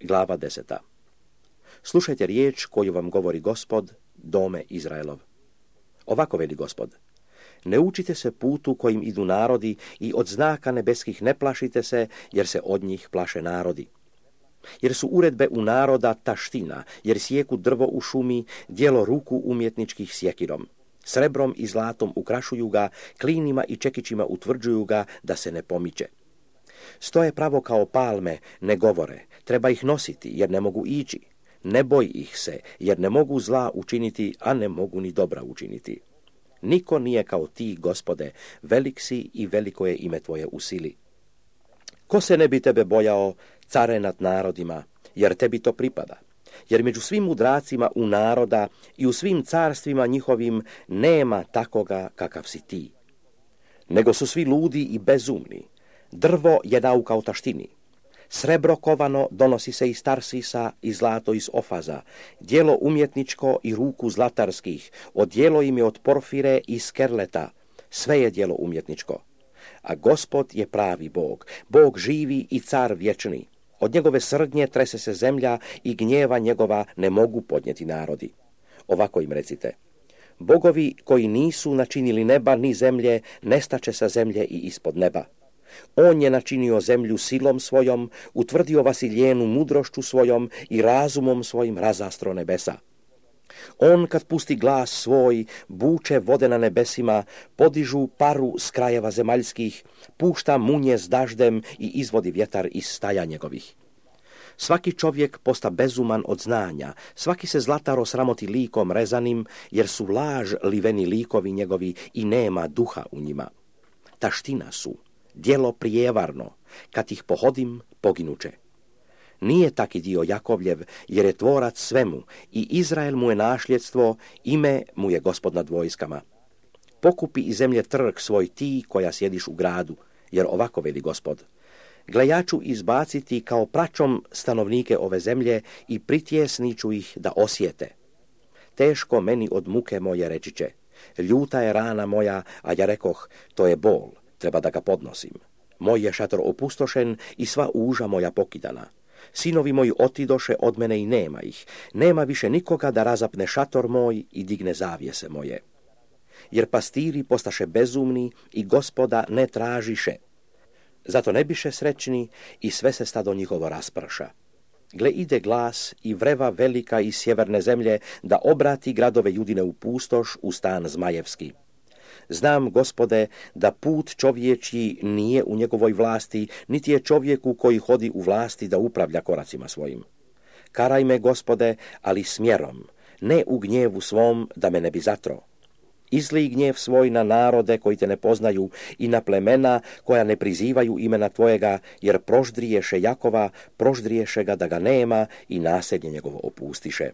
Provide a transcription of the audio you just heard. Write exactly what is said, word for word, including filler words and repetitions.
Glava deseta. Slušajte riječ koju vam govori Gospod, dome Izraelov. Ovako veli Gospod. Ne učite se putu kojim idu narodi i od znaka nebeskih ne plašite se, jer se od njih plaše narodi. Jer su uredbe u naroda taština, jer sjeku drvo u šumi, djelo ruku umjetničkih sjekirom. Srebrom i zlatom ukrašuju ga, klinima i čekićima utvrđuju ga da se ne pomiče. Stoje pravo kao palme, ne govore, treba ih nositi jer ne mogu ići. Ne boj ih se, jer ne mogu zla učiniti, a ne mogu ni dobra učiniti. Niko nije kao ti, Gospode, velik si i veliko je ime tvoje u sili. Ko se ne bi tebe bojao, care nad narodima, jer tebi to pripada? Jer među svim mudracima u naroda i u svim carstvima njihovim nema takoga kakav si ti. Nego su svi ludi i bezumni. Drvo je nauka o taštini. Srebro kovano donosi se iz Tarsisa i zlato iz Ofaza, djelo umjetničko i ruku zlatarskih, odjelo im je od porfire i skerleta, sve je djelo umjetničko. A Gospod je pravi Bog, Bog živi i car vječni. Od njegove srdnje trese se zemlja i gnjeva njegova ne mogu podnijeti narodi. Ovako im recite. Bogovi koji nisu načinili neba ni zemlje, nestaće sa zemlje i ispod neba. On je načinio zemlju silom svojom, utvrdio vasiljenu mudrošću svojom i razumom svojim razastro nebesa. On kad pusti glas svoj, buče vode na nebesima, podižu paru s krajeva zemaljskih, pušta munje s daždem i izvodi vjetar iz staja njegovih. Svaki čovjek posta bezuman od znanja, svaki se zlataro sramoti likom rezanim, jer su laž liveni likovi njegovi i nema duha u njima. Taština su, djelo prijevarno, kad ih pohodim, poginuće. Nije taki dio Jakovljev, jer je tvorac svemu, i Izrael mu je našljedstvo, ime mu je Gospod nad vojskama. Pokupi iz zemlje trg svoj ti koja sjediš u gradu, jer ovako veli Gospod. Gle, ja ću izbaciti kao pračom stanovnike ove zemlje i pritjesniću ih da osjete. Teško meni od muke moje reći će, ljuta je rana moja, a ja rekoh, to je bol, treba da ga podnosim. Moj je šator opustošen i sva uža moja pokidana. Sinovi moji otidoše od mene i nema ih. Nema više nikoga da razapne šator moj i digne zavjese moje. Jer pastiri postaše bezumni i Gospoda ne tražiše. Zato ne biše srećni i sve se stado njihovo rasprša. Gle, ide glas i vreva velika iz sjeverne zemlje da obrati gradove Judine u pustoš, u stan zmajevski. Znam, Gospode, da put čovječji nije u njegovoj vlasti, niti je čovjeku koji hodi u vlasti da upravlja koracima svojim. Karaj me, Gospode, ali smjerom, ne u gnjevu svom da me ne bi zatro. Izlij gnjev svoj na narode koji te ne poznaju i na plemena koja ne prizivaju imena tvojega, jer proždriješe Jakova, proždriješe ga da ga nema i naselje njegovo opustiše.